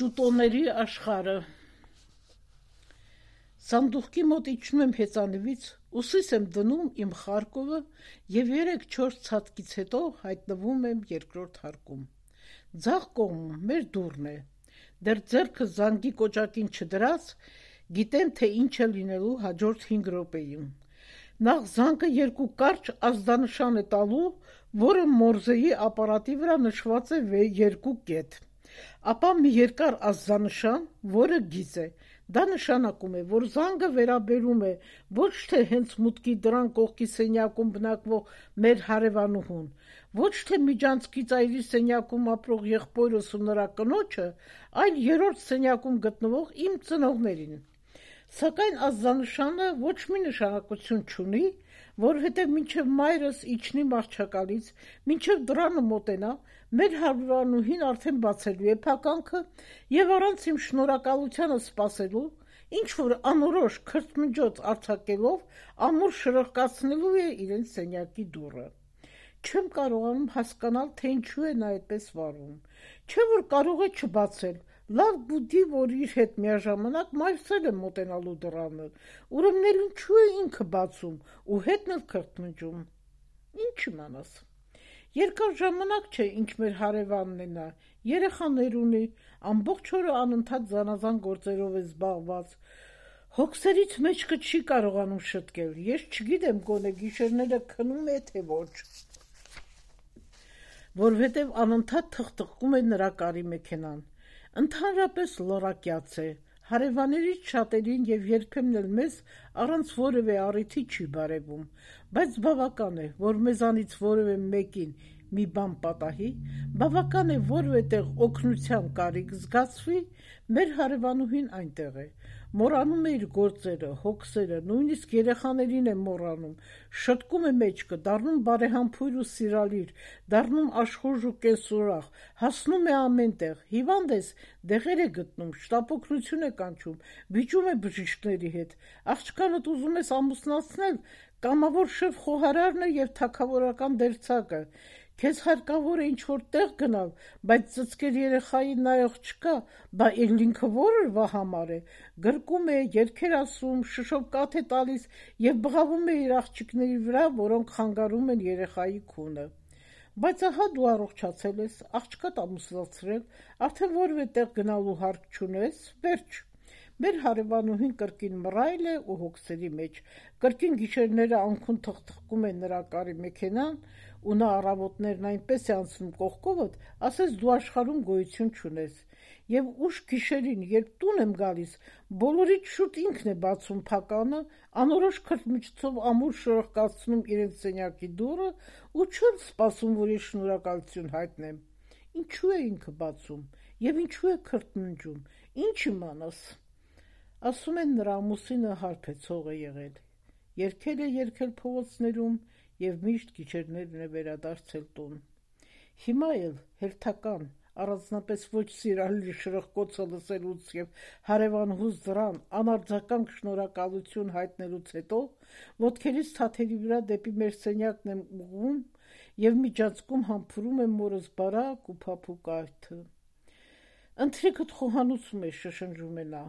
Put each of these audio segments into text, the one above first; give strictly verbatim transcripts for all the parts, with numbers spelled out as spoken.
Ճուտոների աշխարհը Սանդուղքի մոտ իջնում եմ հեծանիվից, ուսիս եմ դնում իմ Խարկովը և երեք-չորս ցատկից հետո հայտնվում եմ երկրորդ հարկում։ Ձախ կողմում մեր դուռն է, դեռ ձեռքս զանգի կոճակին չդրած, գիտեմ, թե ինչ է լինելու հաջորդ հինգ րոպեին։ Նախ զանգը երկու կարճ ազդանշան է տալու, որը Մորզեի ապարատի վրա նշված է երկու կետ։ Ապա մի երկար ազդանշան, որը գիծ է։ Դա նշանակում է, որ զանգը վերաբերում է ոչ թե հենց մուտքի դռան կողքի սենյակում բնակվող մեր հարևանուհուն, ոչ թե միջանցքի ծայրի սենյակում ապրող եղբորս ու նրա կնոջը, այլ երրորդ սենյակում գտնվող իմ ծնողներին։ Սակայն ազդանշանը ոչ մի նշանակություն չունի, որովհետև մինչև մայրս իջնի մահճակալից, մինչև դռանը մոտենա, մեր հարևանուհին արդեն բացելու է փականքը և առանց իմ շնորհակալությանը սպասելու, ինչ-որ անորոշ քրթմնջոց արձակելով, ամուր շրխկացնելու է իրենց սենյակի դուռը։ Չեմ կարողանում հասկանալ, թե ինչու է նա այդպես վարվում, չէ՞ որ կարող է չբացել, լավ գիտի, որ իր հետ միաժամանակ մայրս էլ է մոտենալու դռանը, ուրեմն էլ ինչու է ինքը բացում ու հետն էլ քրթմնջում։ Ինչ իմանաս։ Երկար ժամանակ չէ, ինչ մեր հարևանն է նա, երեխաներ ունի, ամբողջ օրը անընդհատ զանազան գործերով է զբաղված, հոգսերից մեջքը չի կարողանում շտկել, ես չգիտեմ, գոնե գիշերները քնում է, թե ոչ, որովհետև անընդհատ թխթխում է նրա կարի մեքենան, ընդհանրապես լռակյաց է, հարևաններից շատերին և երբեմն էլ մեզ առանց որևէ առիթի չի բարևում, բայց բավական է, որ մեզանից որևէ մեկին մի բան պատահի, բավական է որևէ տեղ օգնության կարիք զգացվի, մեր հարևանուհին այնտեղ է, մոռանում է իր գործերը, հոգսերը, նույնիսկ երեխաներին է մոռանում, շտկում է մեջքը, դառնում բարեհամբույր ու սիրալիր, դառնում աշխույժ ու կենսուրախ, հասնում է ամեն տեղ, հիվանդ ես, դեղեր է գտնում, շտապօգնություն է կանչում, վիճում է բժիշկների հետ, աղջկանդ ուզում ես ամուսնացնել, կամավոր շեֆ խոհարարն է և թագավորական դերձակը, քեզ հարկավոր է ինչ-որ տեղ գնալ, բայց ծծկել երեխային նայող չկա, բա էլ ինքը որվա համար է, գրկում է, երգեր ասում, շշով կաթ է տալիս և բղավում է իր աղջիկների վրա, որոնք խանգարում են երեխայի քունը։ Բայց ահա դու առողջացել ես, աղջկադ ամուսնացրել, արդեն որևէ տեղ գնալու հարկ չունես, վերջ։ Մեր հարևանուհին կրկին մռայլ է ու հոգսերի մեջ, կրկին գիշերները անքուն թխթխում է նրա կարի մեքենան, ու նա առավոտներն այնպես է անցնում կողքովդ, ասես դու աշխարհում գոյություն չունես, և ուշ գիշերին, երբ տուն եմ գալիս, բոլորից շուտ ինքն է բացում փականը, անորոշ քրթմիջոցով ամուր շրխկացնում իրենց սենյակի դուռը ու չեմ սպասում, որ իր շնորհակալություն հայտնեմ։ Ինչու է ինքը բացում և ինչու է քրթմնջում, ինչ իմանաս։ Ասում են, նրա ամուսինը հարբեցող է եղել, երգել է երգել փողոցներում և միշտ գիշերներն է վերադարձել տուն։ Հիմա էլ հերթական, առանձնապես ոչ սիրալիր շրխկոցը լսելուց և հարևանուհուս դռան անարձագանք շնորհակալություն հայտնելուց հետո ոտքերիս թաթերի վրա դեպի մեր սենյակն եմ ուղղում և միջանցքում համբուրում եմ մորս բարակ ու փափուկ այթը։ Ընթրիքդ խոհանոցում է, շշնջում է նա։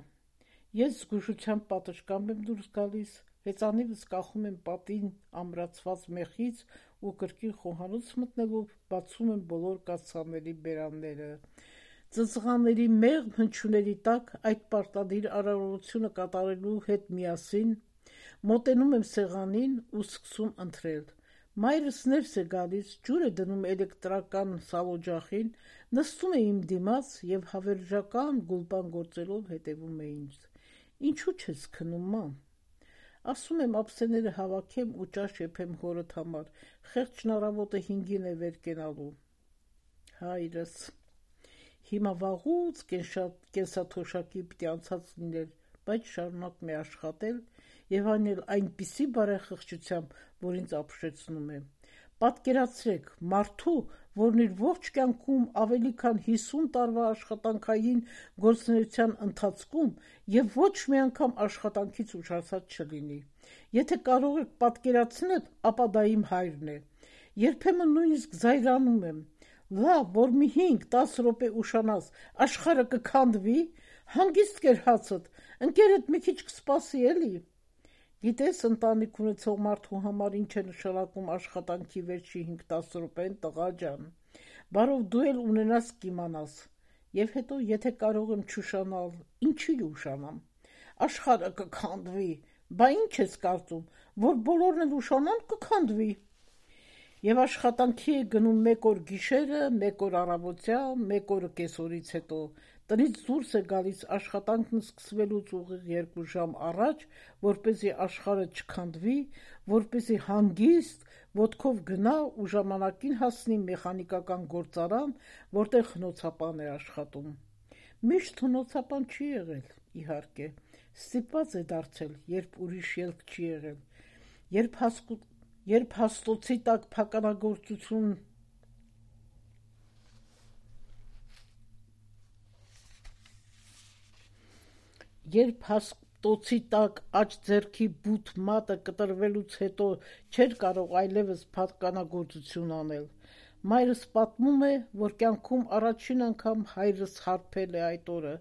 Ես զգուշությամբ պատշգամբ եմ դուրս գալիս, հեծանիվս կախում եմ պատին ամրացված մեխից ու կրկին խոհանոց մտնելով բացում եմ բոլոր կաթսաների բերանները։ Ծծղաների մեղմ հնչյունների տակ այդ պարտադիր արարողությունը կատարելու հետ միասին մոտենում եմ սեղանին ու սկսում ընթրել։ Մայրս ներս է գալիս, ջուր է դնում էլեկտրական սալօջախին, նստում է իմ դիմաց և հավերժական գուլպան գործելով հետևում է ինձ։ Ինչու չես քնում, մամ։ Ասում եմ ափսեները հավաքեմ ու ճաշ եփեմ հորդ համար, խեղճն առավոտը հինգին է վեր կենալու։ Հայրս։ Հիմա վաղուց կենսաթոշակի պիտի անցած լիներ, բայց շարունակում է աշխատել և այն էլ այնպիսի բարեխղճությամբ, որ ինձ ապշեցնում է։ Պատկերացրեք, մարդու, որն իր ողջ կյանքում ավելի քան հիսուն տարվա աշխատանքային գործունեության ընթացքում և ոչ մի անգամ աշխատանքից ուշացած չլինի։ Եթե կարող եք պատկերացնել, ապա դա իմ հայրն է։ Երբեմն նույնիսկ զայրանում եմ, Լավ, որ մի հինգ դաս րոպե ուշանաս, աշխարհը կքանդվի, հանգիստ կեր հացդ, ընկերդ մի քիչ կսպասի էլի։ Գիտես ընտանիք ունեցող մարդու համար ինչ է նշանակում աշխատանքի վերջի հինգ դաս րոպեն, տղա ջան, բարով դու էլ ունենաս կիմանաս։ Եվ հետո եթե կարող եմ չուշանալ, ինչի ուշանամ։ Աշխարհը կքանդվի, բա ինչ ես կարծում, որ բոլորն էլ ուշանան կքանդվի։ Եվ աշխատանքի է գնում մեկ օր գիշերը, մեկ օր առավոտյան, մեկ օրը կեսօրից հետո, տնից դուրս է գալիս աշխատանքն սկսվելուց ուղիղ երկու ժամ առաջ, որպեսզի աշխարհը չքանդվի, որպեսզի հանգիստ ոտքով գնա ու ժամանակին հասնի մեխանիկական գործարան, որտեղ հնոցապան է աշխատում։ Միշտ հնոցապան չի եղել, իհարկե, ստիպված է դարձել, երբ ուրիշ ելք չի եղել, երբ հասկու Երբ հաստոցի տակ փականագործություն Երբ հաստոցի տակ աջ ձեռքի բութ մատը կտրվելուց հետո չէր կարող այլևս փականագործություն անել։ Մայրս պատմում է, որ կյանքում առաջին անգամ հայրս հարբել է այդ օրը։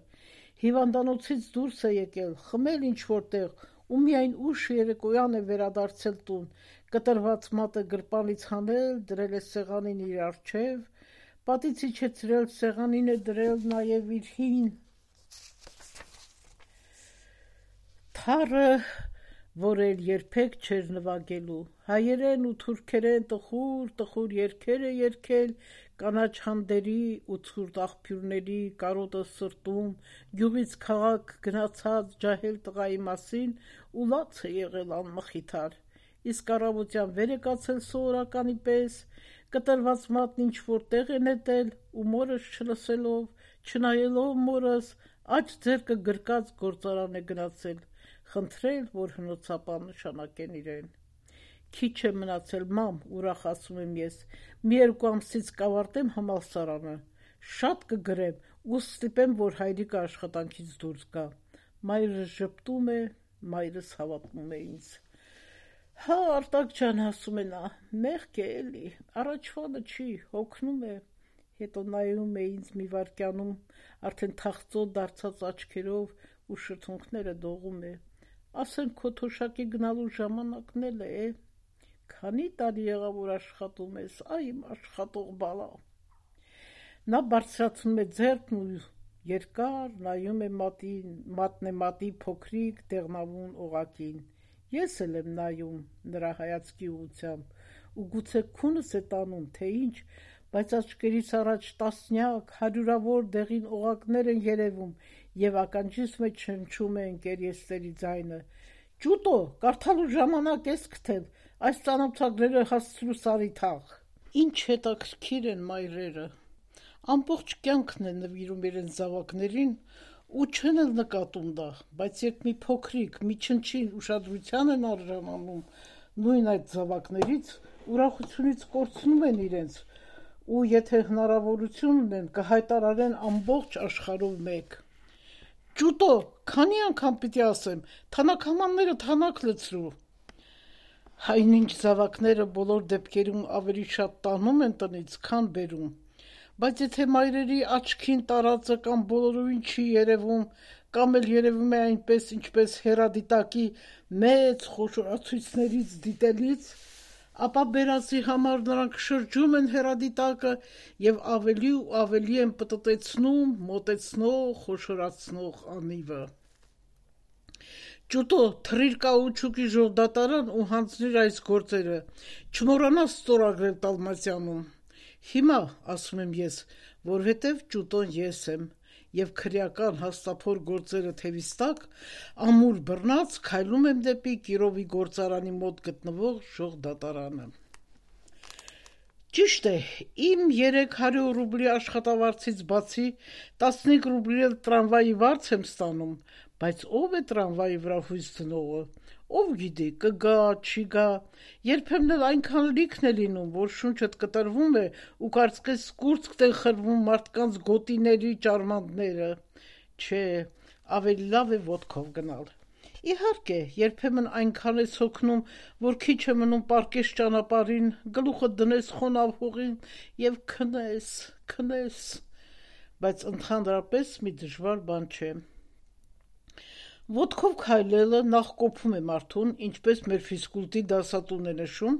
Հիվանդանոցից դուրս է եկել, խմել ինչ-որ տեղ ու միայն ուշ երեկոյան է վերադարձել տուն, կտրված մատը գրպանից հանել, դրել է սեղանին իր առջև, պատից իջեցրել, սեղանին է դրել նաև իր հին թառը, որ էլ երբեք չէր նվագելու, հայերեն ու թուրքերեն տխուր-տխուր երգեր է երգել, կանաչ հանդերի ու ցուրտ աղբյուրների կարոտը սրտում, գյուղից քաղաք գնացած ջահել տղայի մասին ու լաց է եղել անմխիթար, իսկ առավոտյան վեր է կացել սովորականի պես, կտրված մատն ինչ-որ տեղ է նետել ու մորս չլսելով, չնայելով մորս, աջ ձեռքը գրկած գործարան է գնացել, խնդրել, որ հնոցապան նշանակեն իրեն։ Քիչ է մնացել, մամ, ուրախ ասում եմ ես, մի երկու ամսից կավարտեմ համալսարանը, շատ կգրեմ ու ստիպեմ, որ հայրիկը աշխատանքից դուրս գա։ Մայրս ժպտում է, մայրս հավատում է ինձ։ Հա, Արտակ ջան, ասում է նա, մեղք է էլի, առաջվանը չի, հոգնում է։ Հետո նայում է ինձ մի վայրկյանում, արդեն թախծոտ դարձած աչքերով ու շրթունքները դողում է։ Ասեն քո թոշակի գնալու ժամանակն էլ է։ Քանի տարի եղավ որ աշխատում ես, այ իմ աշխատող բալա։ Նա բարձրացնում է ձեռքն ու երկար նայում է մատին, մատնե մատի փոքրիկ դեղնավուն օղակին։ Ես էլ եմ նայում նրա հայացքի ուղղությամբ ու գուցե քունս է տանում, թե ինչ, բայց աչքերից առաջ տասնյակ, հարյուրավոր դեղին օղակներ են երևում եւ ականջիս մեջ շնչում է ընկերեստերի ձայնը։ Ջուտո, կարդալու ժամանակ ես գտել, այս ծանոթագրերը հասցրու սարի թաղ։ Ինչ հետաքրքիր են մայրերը։ Ամբողջ կյանքն են նվիրում իրենց զավակներին ու չեն էլ նկատում դա, բայց երբ մի փոքրիկ, մի չնչին ուշադրության են արժանանում նույն այդ զավակներից, ուրախությունից կորցնում են իրենց ու եթե հնարավորություն ունեն կհայտարարեն ամբողջ աշխարհով մեկ։ Ջուտո, քանի անգամ պիտի ասեմ, թանաքամանները թանաք լցրու։ Այնինչ զավակները բոլոր դեպքերում ավելի շատ տանում են տնից, քան բերում, բայց եթե մայրերի աչքին տարածը կամ բոլորովին չի երևում, կամ էլ երևում է այնպես, ինչպես հեռադիտակի մեծ խոշորացույցներից դիտելից, ապա բերածի համար նրանք շրջում են հեռադիտակը եւ ավելի ու ավելի են պտտեցնում, մոտեցնող, խոշորացնող անիվը։ Ջուտո, թռիր կաուչուկի ժողդատարան ու հանձնիր այս գործերը, չմոռանաս ստորագրել Տալմասյանում։ Հիմա, ասում եմ ես, որովհետև ջուտոն ես եմ, եւ քրեական հաստափոր գործերը թևիս տակ, ամուր բռնած քայլում եմ դեպի Կիրովի գործարանի մոտ գտնվող ժողդատարանը։ Ճիշտ է, իմ երեք հարյուր ռուբլի աշխատավարձից բացի տասնհինգ ռուբլի էլ տրամվայի վարձ եմ ստանում, բայց ով է տրամվայի վրա հույս դնողը, ով գիտի, կգա, չի գա, երբեմն էլ այնքան լիքն է լինում, որ շունչդ կտրվում է ու կարծես կուրծքդ են խրվում մարդկանց գոտիների ճարմանտները, չէ, ավելի լավ է ոտքով գնալ։ Իհարկե, երբեմն այնքան ես հոգնում, որ քիչ է մնում պարկես ճանապարհին, գլուխը դնես խոնավ հողին եւ քնես, քնես, բայց ընդհանրապես մի դժվար բան չէ։ Ոտքով քայլելը նախ կոփում է մարդուն, ինչպես մեր ֆիզկուլտի դասատուն է նշում,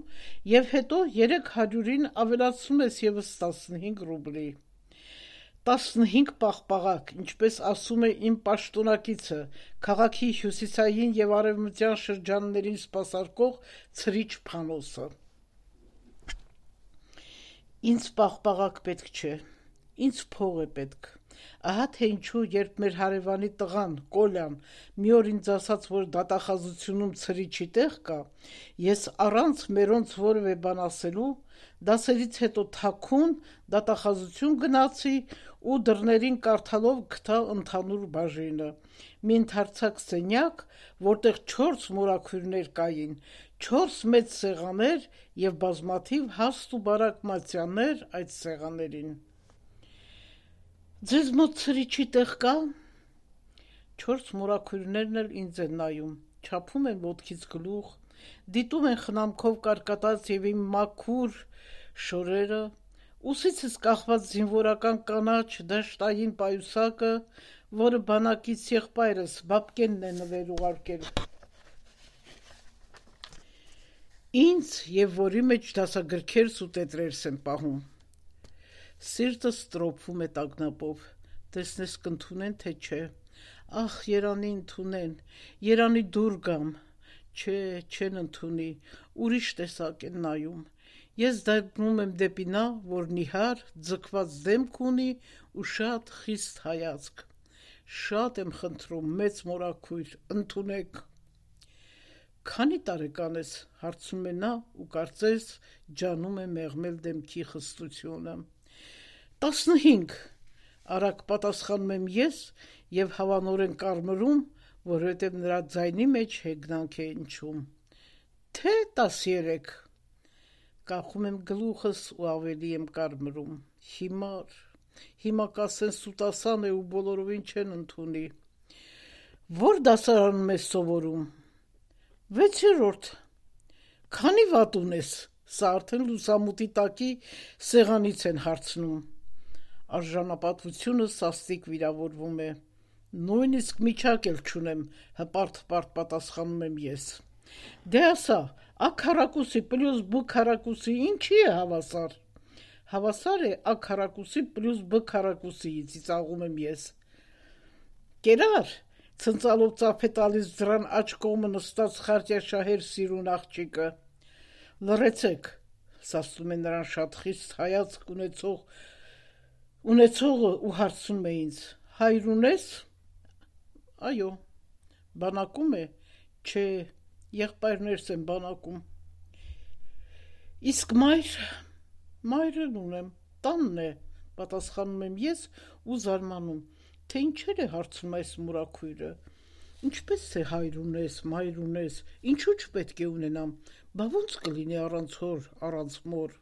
եւ հետո երեք հարյուրին ավելացնում ես եւս տասնհինգ ռուբլի։ տասնհինգ պաղպաղակ, ինչպես ասում է իմ պաշտոնակիցը, քաղաքի հյուսիսային եւ արևմտյան շրջաններին սպասարկող ցրիչ Փանոսը։ Ինձ պաղպաղակ պետք չէ, ինձ փող է պետք։ Ահա թե ինչու, երբ մեր հարևանի տղան, Կոլյան, մի օր ինձ ասաց, որ դատախազությունում ցրիչի տեղ կա, ես առանց մերոնց որևէ բան ասելու, դասերից հետո թաքուն դատախազություն գնացի ու դռներին կարդալով գտա ընդհանուր բաժինը, մի ընդարձակ սենյակ, որտեղ չորս մորաքույրներ կային, չորս մեծ սեղաններ եւ բազմաթիվ հաստ ու բարակ մատյաններ այդ սեղաններին։ Ձեզ մոտ ցրիչի տեղ կա։ Չորս մորաքույրներն էլ ինձ են նայում, չափում են ոտքից գլուխ, դիտում են խնամքով կարկատած եւ իմ մաքուր շորերը, ուսիցս կախված զինվորական կանաչ դաշտային պայուսակը, որը բանակից եղբայրս Բաբկենն է նվեր ուղարկել ինձ եւ որի մեջ դասագրքերս ու տետրերս են պահում։ Սիրտս տրոփվում է տագնապով, տեսնես կընդունեն թե չէ, ախ երանի ընդունեն, երանի դուր գամ, չէ, չեն ընդունի, ուրիշ տեսակ են նայում, ես դառնում եմ դեպի նա, որ նիհար, ձգված դեմք ունի ու շատ խիստ հայացք, շատ եմ խնդրում, մեծ մորաքույր, ընդունեք։ Քանի տարեկան ես, հարցնում է նա ու կարծես ջանում է մեղմել դեմքի խստությունը։ Տասնհինգ, արագ պատասխանում եմ ես եւ հավանորեն կարմրում, որովհետեւ նրա ձայնի մեջ հեգնանք է ընչում։ Թե տասերեք։ Կախում եմ գլուխս ու ավելի եմ կարմրում։ Հիմար, հիմա կասեն սուտասան է ու բոլորովին չեն ընդունի։ Որ դասարանում ես սովորում։ Վեցերորդ։ Քանի վատ ունես։ Սա արդեն լուսամուտի տակի սեղանից են հարցնում։ Արժանապատվությունը սաստիկ վիրավորվում է։ Նույնիսկ միջակ էլ չունեմ, հպարտ-հպարտ պատասխանում եմ ես։ Դե ասա, ա քառակուսի պլյուս բ քառակուսի ինչի է հավասար։ Հավասար է ա քառակուսի պլյուս բ քառակուսի, ծիծաղում եմ ես։ Կերար, ցնցալով ծափ է տալիս դրան աջ կողմը նստած խարտյաշահեր սիրուն աղջիկը։ Լռեցեք, սաստում է նրան շատ խիստ հայացք ունեցող Ունեցողը ու հարցնում է ինձ. հայր ունես։ Այո, բանակում է, չէ, եղբայրներս են բանակում։ Իսկ մայր, մայրն ունեմ, տանն է, պատասխանում եմ ես ու զարմանում, թե ինչեր է հարցնում այս մորաքույրը։ Ինչպես է հայր ունես, մայր ունես, ինչու չպետք է ունենամ, բա ոնց կլինի առանց հոր, առանց մոր։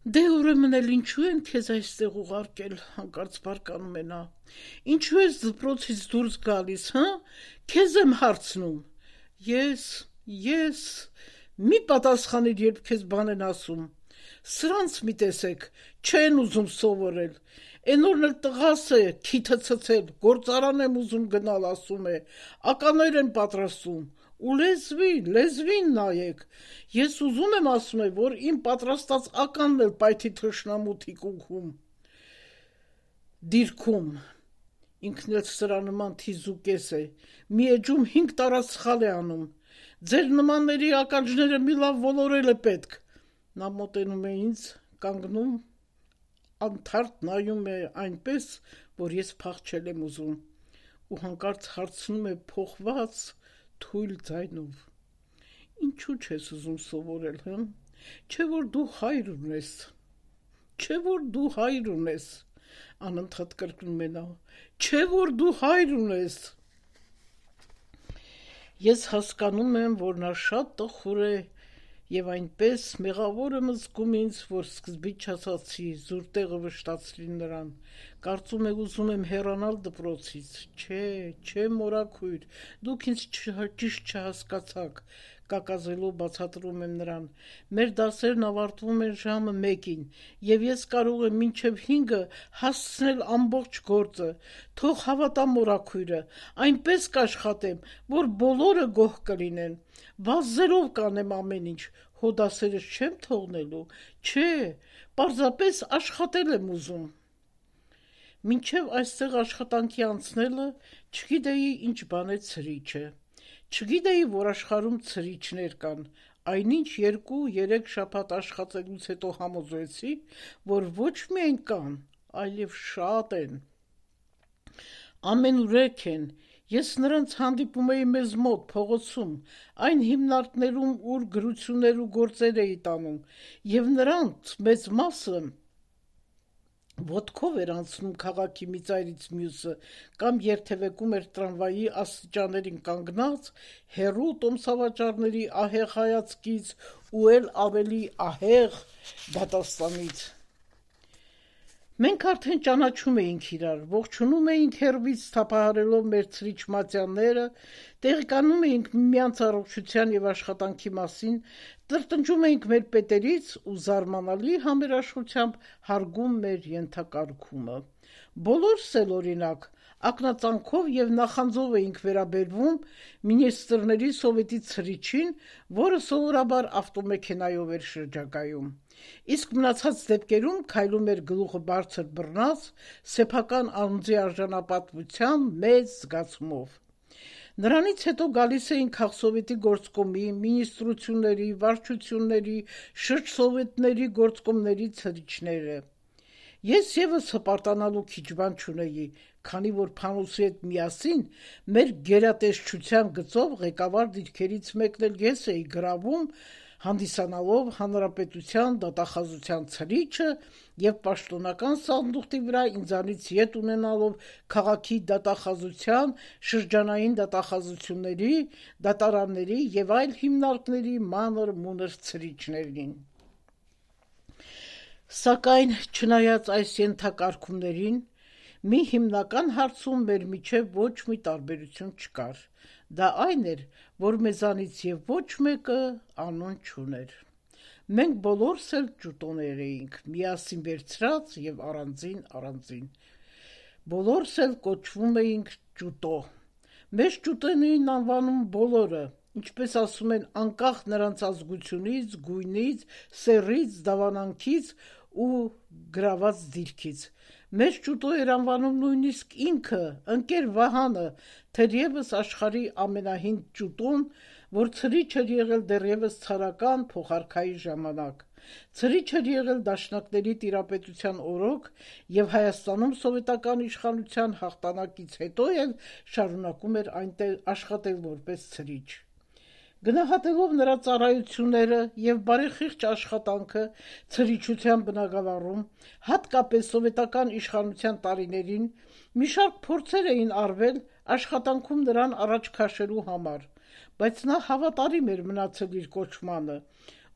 Դե ուրեմն էլ ինչու են քեզ այստեղ ուղարկել, հանկարծ բարկանում է նա։ Ինչու ես դպրոցից դուրս գալիս, հա։ Քեզ եմ հարցնում։ Ես, ես, մի պատասխանիր, երբ քեզ բան են ասում։ Սրանց մի տեսեք, չեն ուզում սովորել։ Էնորն էլ տղաս է, քիթը ցցել, գործարան եմ ուզում գնալ, ասում է, ականներ են պատրաստում։ Ու լեզվի, լեզվին նայեք, ես ուզում եմ ասում է, որ իմ պատրաստած ականն էլ պայթի թշնամու թիկունքում, դիրքում, ինքն էլ սրա նման թիզուկես է, մի էջում հինգ տարածխալ է անում, ձեր նմանների ականջները մի լավ ոլորել է պետք, նա մոտենում է ինձ, կանգնում, անթարթ նայում է այնպես, որ ես փախչել եմ ուզում, ու հանկարծ հարցնում է փոխված, թույլ ձայնով. Ինչու չես ուզում սովորել, հա։ Չէ որ դու հայր ունես։ Չէ որ դու հայր ունես։ Անընդհատ կրկնում է նա. Չէ որ դու հայր ունես։ Ես հասկանում եմ, որ նա շատ տխուր է Եվ այնպես մեղավորը մզգում ինձ, որ սկզբից չասացի, զուր տեղը վշտացրի նրան, կարծում է ուզում եմ հեռանալ դպրոցից, չէ, չէ մորաքույր, դուք ինձ ճիշտ չհասկացաք, կակազելով բացատրում եմ նրան, մեր դասերն ավարտվում են ժամը մեկին, և ես կարող եմ մինչև հինգը հասցնել ամբողջ գործը, թող հավատա մորաքույրը, այնպես կաշխատեմ, որ բոլորը գոհ կլինեն, վազելով կանեմ ամեն ինչ, հո դասերս չեմ թողնելու, չէ, պարզապես աշխատել եմ ուզում։ Մինչև այստեղ աշխատանքի անցնելը չգիտեի ինչ բան է ցրիչը, չգիտեի, որ աշխարհում ցրիչներ կան, այնինչ երկու-երեք շաբաթ աշխատելուց հետո համոզվեցի, որ ոչ միայն կան, այլև շատ են։ Ամենուրեք են, ես նրանց հանդիպում էի մեզ մոտ փողոցում, այն հիմնարկներում, ուր գրություններ ու գործեր էի տանում, և նրանց մեծ մասը ոտքով էր անցնում քաղաքի մի ծայրից մյուսը, կամ երթևեկում էր տրամվայի աստիճաններին կանգնած, հեռու տոմսավաճառների ահեղ հայացքից ու էլ ավելի ահեղ դատաստանից։ Մենք արդեն ճանաչում էինք իրար, ողջունում էինք հեռվից թափահարելով մեր ցրիչ-մատյանները, տեղեկանում էինք միմյանց առողջության և աշխատանքի մասին, տրտնջում էինք մեր պետերից ու զարմանալի համերաշխությամբ հարգում մեր ենթակարգումը։ Բոլորս էլ օրինակ, ակնածանքով և նախանձով էինք վերաբերվում մինիստրների սովետի ցրիչին, որը սովորաբար ավտոմեքենայով էր շրջագայում։ Իսկ մնացած դեպքերում քայլում էր գլուխը բարձր բռնած, սեփական անձի արժանապատվության մեծ զգացումով։ Նրանից հետո գալիս էին քաղսովետի գործկոմի, մինիստրությունների, վարչությունների, շրջսովետների գործկոմների ցրիչները։ Ես ևս հպարտանալու քիչ բան չունեի, քանի որ Փանոսի հետ միասին մեր գերատեսչության գծով ղեկավար դիրքերից մեկն էլ ես էի գրավում, հանդիսանալով հանրապետության դատախազության ցրիչը և պաշտոնական սանդուղքի վրա ինձանից ետ ունենալով քաղաքի դատախազության, շրջանային դատախազությունների, դատարանների և այլ հիմնարկների մանր-մունր ցրիչներին։ Սակայն, չնայած այս ենթակարգումներին, մի հիմնական հարցում մեր միջև ոչ մի տարբերություն չկար, դա այն էր, որ մեզանից և ոչ մեկը անուն չուներ։ Մենք բոլորս էլ ճուտոներ էինք, միասին վերցրած և առանձին-առանձին։ Բոլորս էլ կոչվում էինք ճուտո։ Մեզ ճուտեն էին անվանում բոլորը, ինչպես ասում են, անկախ նրանց ազգությունից, գույնից, սեռից, դավանանքից ու գրաված դիրքից։ Մեզ ճուտո էր անվանում նույնիսկ ինքը, ընկեր Վահանը, թերևս աշխարհի ամենահին ճուտոն, որ ցրիչ էր եղել դեռևս ցարական փոխարքայի ժամանակ։ Ցրիչ էր եղել դաշնակների տիրապետության օրոք և Հայաստանում սովետական իշխանության հաղթանակից հետո էլ շարունակում էր այնտեղ աշխատել որպես ցրիչ։ Գնահատելով նրա ծառայությունները և բարեխիղճ աշխատանքը ցրիչության բնագավառում, հատկապես սովետական իշխանության տարիներին, մի շարք փորձեր էին արվել աշխատանքում նրան առաջ քաշելու համար, բայց նա հավատարիմ էր մնացել իր կոչմանը,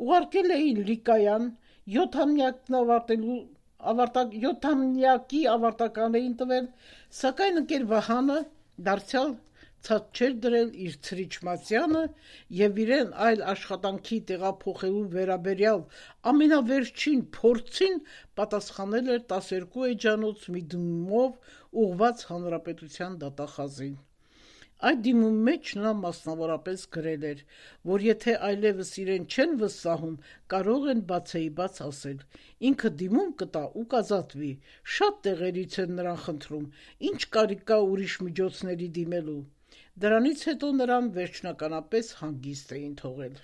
ուղարկել էին Լիկայան, յոթամյակի ավարտական էին տվել, սակայն ընկեր Վահանը դարձյալ ցած չէր դրել իր ցրիչ-մատյանը և իրեն այլ աշխատանքի տեղափոխելու վերաբերյալ ամենավերջին փորձին պատասխանել էր տասներկու էջանոց մի դիմումով ուղղված հանրապետության դատախազին։ Այդ դիմումի մեջ նա մասնավորապես գրել էր, որ եթե այլևս իրեն չեն վստահում, կարող են բացեիբաց ասել, ինքը դիմում կտա ու կազատվի, շատ տեղերից են նրան խնդրում, ինչ կարիք կա ուրիշ միջոցների դիմելու։ Դրանից հետո նրան վերջնականապես հանգիստ էին թողել։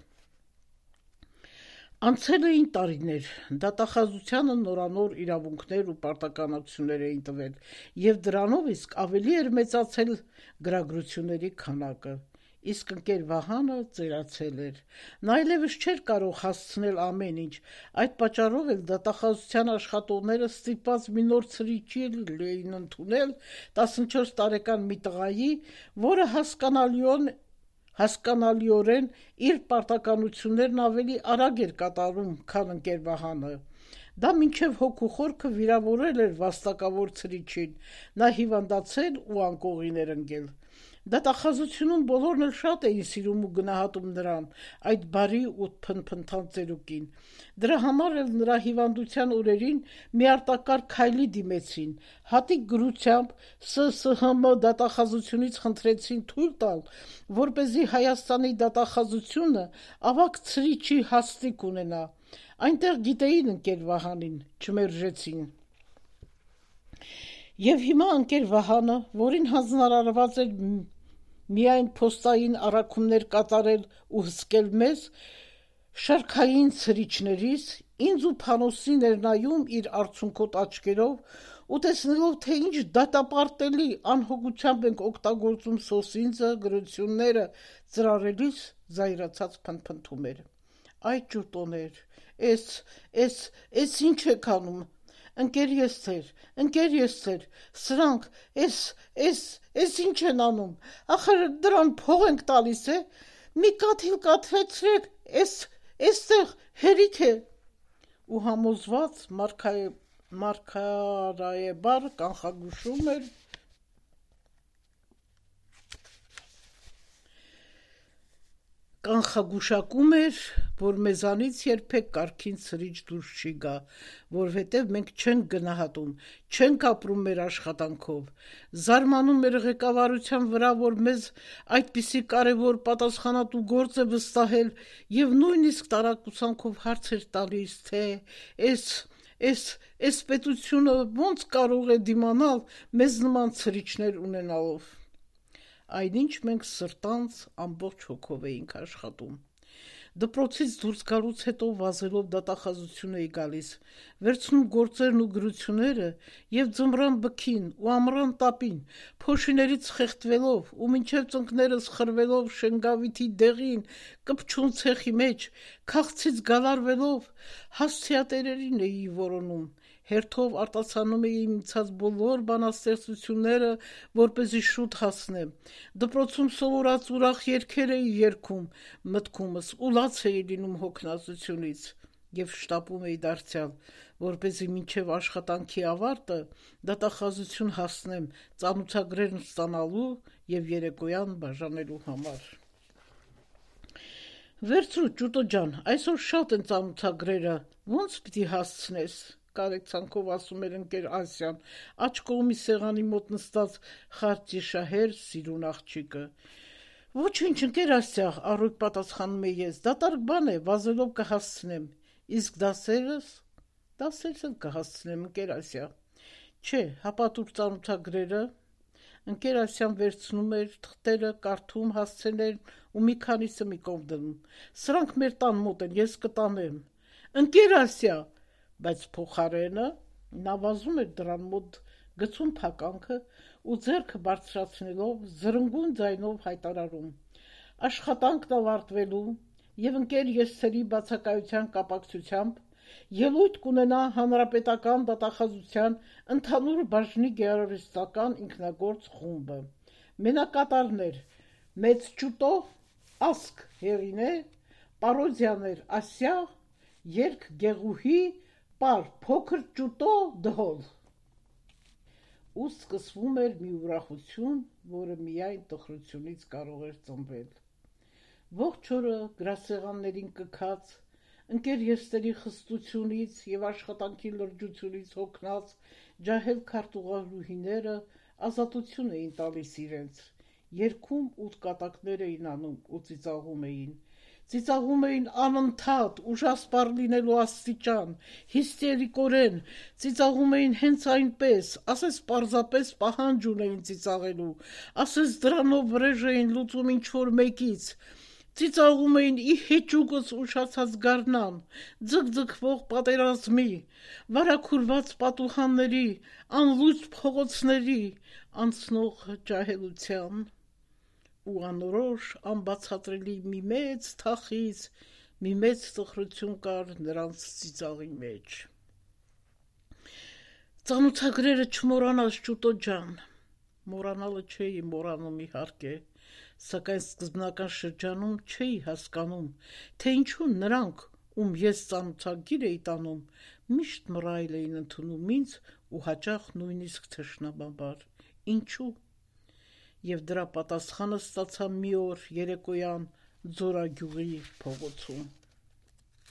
Անցել էին տարիներ, դատախազությանը նորանոր իրավունքներ ու պարտականություններ էին տվել, և դրանով իսկ ավելի էր մեծացել գրագրությունների քանակը, իսկ ընկեր Վահանը ծերացել էր։ Նա այլևս չէր կարող հասցնել ամեն ինչ, այդ պատճառով էլ դատախազության աշխատողները ստիպված մի նոր ցրիչի էին ընդունել, տասնչորս տարեկան մի տղայի, որը հասկանալիորեն հասկանալիորեն իր պարտականություններն ավելի արագ էր կատարում, քան ընկեր Վահանը։ Դա մինչև հոգու խորքը վիրավորել էր վաստակավոր ցրիչին, նա հիվանդացել ու անկողին էր ընկել։ Դատախազությունում բոլորն էլ շատ էին սիրում ու գնահատում նրան, այդ բարի ու փնփնթան ծերուկին։ Դրա համար էլ նրա հիվանդության օրերին մի արտակարգ քայլի դիմեցին, հատիկ գրությամբ Սը Սը Հ Մ դատախազությունից խնդրեցին թույլ տալ, որպեսզի Հայաստանի դատախազությունը ավագ ցրիչի հաստիք ունենա։ Այնտեղ գիտեին ընկեր Վահանին, չմերժեցին։ Եվ հիմա ընկեր Վահանը, որին հանձնարարված էր միայն փոստային առաքումներ կատարել ու հսկել մեզ, շարքային ցրիչներից, ինձ ու Փանոսին էր նայում իր արցունքոտ աչքերով ու տեսնելով, թե ինչ դատապարտելի անհոգությամբ ենք օգտագործում սոսինձը, գրությունները ծրարելիս, զայրացած փնփնթում էր. Այ ջուտոներ, էս, էս, էս ինչ եք անում, ընկեր Եսթեր, ընկեր Եսթեր, սրանք, էս, էս, էս ինչ են անում, ախր դրան փող ենք տալիս, է, մի կաթիլ կաթվեցրեք, էս, էստեղ հերիք է։ Ու համոզված մարգարայաբար կանխագուշում էր կանխագուշակում էր, որ մեզանից երբեք կարգին ցրիչ դուրս չի գա, որովհետև մենք չենք գնահատում, չենք ապրում մեր աշխատանքով, զարմանում էր ղեկավարության վրա, որ մեզ այդպիսի կարևոր պատասխանատու գործ է վստահել և նույնիսկ տարակուսանքով հարց էր տալիս, թե էս, էս, էս պետությունը ոնց կարող է դիմանալ մեզ նման ցրիչներ ունենալով։ Այնինչ մենք սրտանց ամբողջ հոգով էինք աշխատում։ Դպրոցից դուրս գալուց հետո վազելով դատախազություն էի գալիս, վերցնում գործերն ու գրությունները և ձմռան բքին ու ամռան տապին, փոշիներից խեղդվելով ու մինչև ծնկներս խրվելով Շենգավիթի դեղին, կպչուն ցեխի մեջ, քաղցից գալարվելով, հասցեատերերին էի որոնում, հերթով արտասանում էի իմացած բոլոր բանաստեղծությունները, որպեսզի շուտ հասնեմ, դպրոցում սովորած ուրախ երգեր էի երգում, մտքումս ու լաց էի լինում հոգնածությունից և շտապում էի դարձյալ, որպեսզի մինչև աշխատանքի ավարտը դատախազություն հասնեմ ծանոթագրերն ստանալու և երեկոյան բաժանելու համար։ Վերցրու ջուտո ջան, այսօր շատ են ծանոթագրերը, ոնց պիտի հասցնես, կարեկցանքով ասում էր ընկեր Ասյան, աջ կողմի սեղանի մոտ նստած խարճիշահեր սիրուն աղջիկը։ Ոչինչ, ընկեր Ասյա, առույգ պատասխանում էի ես, դատարկ բան է, վազելով կհասցնեմ, իսկ դասերս, դասերս էլ կհասցնեմ, ընկեր Ասյա։ Չէ, հապատուր ծանոթագրերը, ընկեր Ասյան վերցնում էր թղթերը, կարդում, հասցեներ ու մի քանիսը մի կողմ դնում։ Սրանք մեր տան մոտ են, ես կտանեմ։ Ընկեր Ասյա, բայց փոխարենը նա վազում էր դրան մոտ, գցում փականքը ու ձեռքը բարձրացնելով զրնգուն ձայնով հայտարարում. աշխատանքն ավարտվելու և ընկեր Եսթերի բացակայության կապակցությամբ ելույթ կունենա հանրապետական դատախազության ընդհանուր բաժնի գեղարվեստական ինքնագործ խումբը։ Մենակատարներ՝ մեծ ջուտո, ասք հեղինե, պարոդիաներ Ասյա, երգ Գեղուհի, պար փոքր ջուտո դհոլ։ Ու սկսվում էր մի ուրախություն, որը միայն տխրությունից կարող էր ծնվել։ Ողջ օրը գրասեղաններին կքած, ընկեր Եսթերի խստությունից և աշխատանքի լրջությունից հոգնած ջահել քարտուղարուհիները ազատություն էին տալիս իրենց, երգում ութ կատակներ էին անում ու ծիծաղում էին։ Ծիծաղում էին անընդհատ, ուժասպառ լինելու աստիճան, հիստերիկորեն, ծիծաղում էին հենց այնպես, ասես պարզապես պահանջ ունեին ծիծաղելու, ասես դրանով վրեժ էին լուծում ինչ-որ մեկից, ծիծաղում էին ի հեճուկս ուշացած գարնան, ձգձգվող պատերազմի, վարագուրված պատուհանների, անլույս փողոցների, անցնող ջահելության ու անորոշ անբացատրելի մի մեծ թախիծ, մի մեծ տխրություն կար նրանց ծիծաղի մեջ։ Ծանոթագրերը չմոռանաս ջուտո ջան, մոռանալը չէի մոռանում իհարկե, Սակայն սկզբնական շրջանում չէի հասկանում, թե ինչու նրանք, ում ես ծանոթագիր էի տանում, միշտ մռայլ էին ընդունում ինձ ու հաճախ նույնիսկ թշնամաբար։ Ինչու՞։ Եվ դրա պատասխանը ստացա մի օր երեկոյան Ձորագյուղի փողոցում։